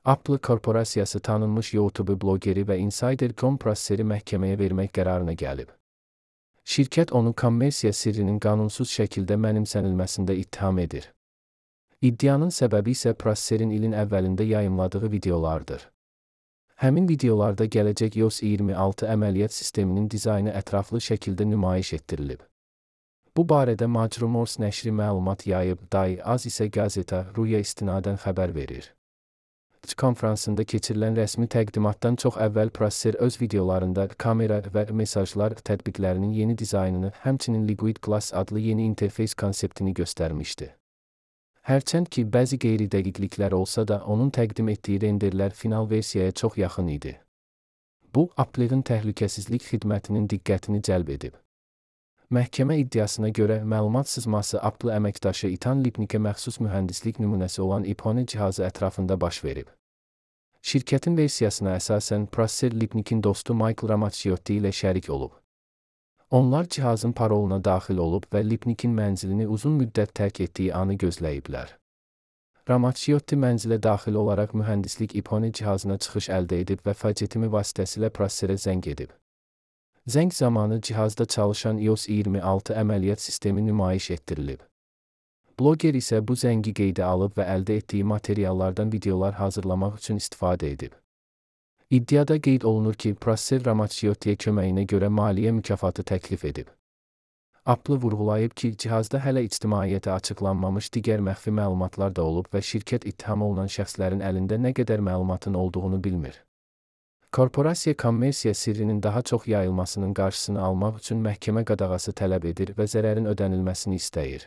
Apple korporasiyası tanınmış YouTube blogeri və insider Tom Prasseri məhkəməyə vermək qərarına gəlib. Şirkət onu kommersiya sirrinin qanunsuz şəkildə mənimsənilməsində ittiham edir. İddianın səbəbi isə Prasserin ilin əvvəlində yayımladığı videolardır. Həmin videolarda gələcək iOS 26 əməliyyat sisteminin dizaynı ətraflı şəkildə nümayiş etdirilib. Bu barədə Majrumors nəşri məlumat yayıb, Az isə Gazeta Ruya istinadən xəbər verir. Konfransında keçirilən rəsmi təqdimatdan çox əvvəl Prasser öz videolarında kamera və mesajlar tətbiqlərinin yeni dizaynını, həmçinin Liquid Glass adlı yeni interfeys konseptini göstərmişdi. Hərçənd ki, bəzi qeyri-dəqiqliklər olsa da, onun təqdim etdiyi renderlər final versiyaya çox yaxın idi. Bu, Apple'ın təhlükəsizlik xidmətinin diqqətini cəlb edib. Məhkəmə iddiasına görə, məlumat sızması Apple əməkdaşı Ethan Lipnicke məxsus mühəndislik nümunəsi olan iPhone cihazı ətrafında baş verib. Şirkətin versiyasına əsasən, Prasser Lipnicke'in dostu Michael Ramaciotti ilə şərik olub. Onlar cihazın paroluna daxil olub və Lipnicke'in mənzilini uzun müddət tərk etdiyi anı gözləyiblər. Ramaciotti mənzilə daxil olaraq mühəndislik iPhone cihazına çıxış əldə edib və faciətimi vasitəsilə Prasserə zəng edib. Zəng zamanı cihazda çalışan iOS 26 əməliyyat sistemi nümayiş etdirilib. Bloger isə bu zəngi qeydə alıb və əldə etdiyi materiallardan videolar hazırlamaq üçün istifadə edib. İddiada qeyd olunur ki, Prasser Ramaciottiyə köməyinə görə maliyyə mükafatı təklif edib. Apple vurğulayıb ki, cihazda hələ ictimaiyyətə açıqlanmamış digər məxfi məlumatlar da olub və şirkət ittiham olunan şəxslərin əlində nə qədər məlumatın olduğunu bilmir. Korporasiya kommersiya sirrinin daha çox yayılmasının qarşısını almaq üçün məhkəmə qadağası tələb edir və zərərin ödənilməsini istəyir.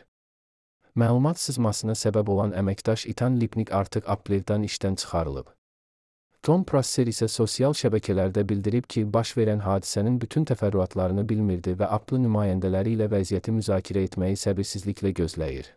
Məlumat sızmasına səbəb olan əməkdaş Ethan Lipnicke artıq Apple'dan işdən çıxarılıb. Tom Prasser isə sosial şəbəkələrdə bildirib ki, baş verən hadisənin bütün təfərrüatlarını bilmirdi və Apple nümayəndələri ilə vəziyyəti müzakirə etməyi səbirsizliklə gözləyir.